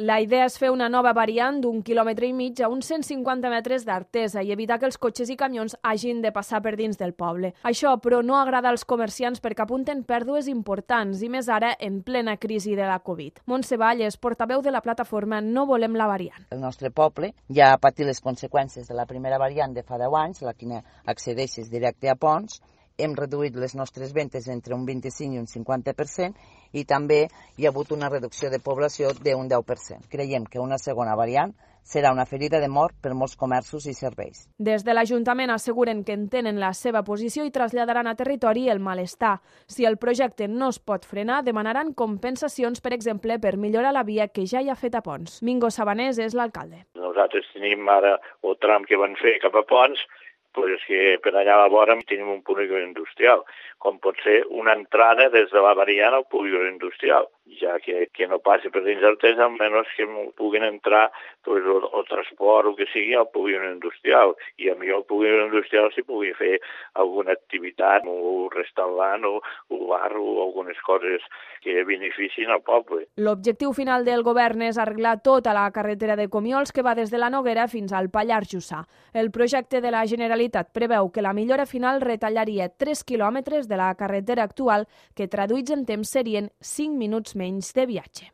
La idea és fer una nova variant d'1,5 quilòmetres a uns 150 metres d'Artesa i evitar que els cotxes i camions hagin de passar per dins del poble. Això, però, no agrada als comerciants perquè apunten pèrdues importants i més ara en plena crisi de la Covid. Montse Valles, portaveu de la plataforma No Volem la Variant. El nostre poble ja ha patit les conseqüències de la primera variant de fa 10 anys, la que accedeixes directe a Ponts. Hem reduït les nostres ventes entre un 25 i un 50% i també hi ha hagut una reducció de població d'un 10%. Creiem que una segona variant serà una ferida de mort per molts comerços i serveis. Des de l'Ajuntament asseguren que entenen la seva posició i traslladaran a territori el malestar. Si el projecte no es pot frenar, demanaran compensacions, per exemple, per millorar la via que ja hi ha fet a Ponts. Mingo Sabanés és l'alcalde. Nosaltres tenim ara el tram que van fer cap a Ponts, pues que per allà a la vora tenim un polígon industrial, com pot ser una entrada des de la variant al polígon industrial, ja que no passi per dins d'Artesa, almenys que puguin entrar pues, el transport o que sigui al polígon industrial, i a millor el polígon industrial s'hi pugui fer alguna activitat, o restaurant, o bar, o algunes coses que beneficien al poble. L'objectiu final del govern és arreglar tota la carretera de Comiols que va des de la Noguera fins al Pallars Jussà. El projecte de la Generalitat preveu que la millora final retallaria 3 quilòmetres de la carretera actual, que traduïts en temps serien 5 minuts menys de viatge.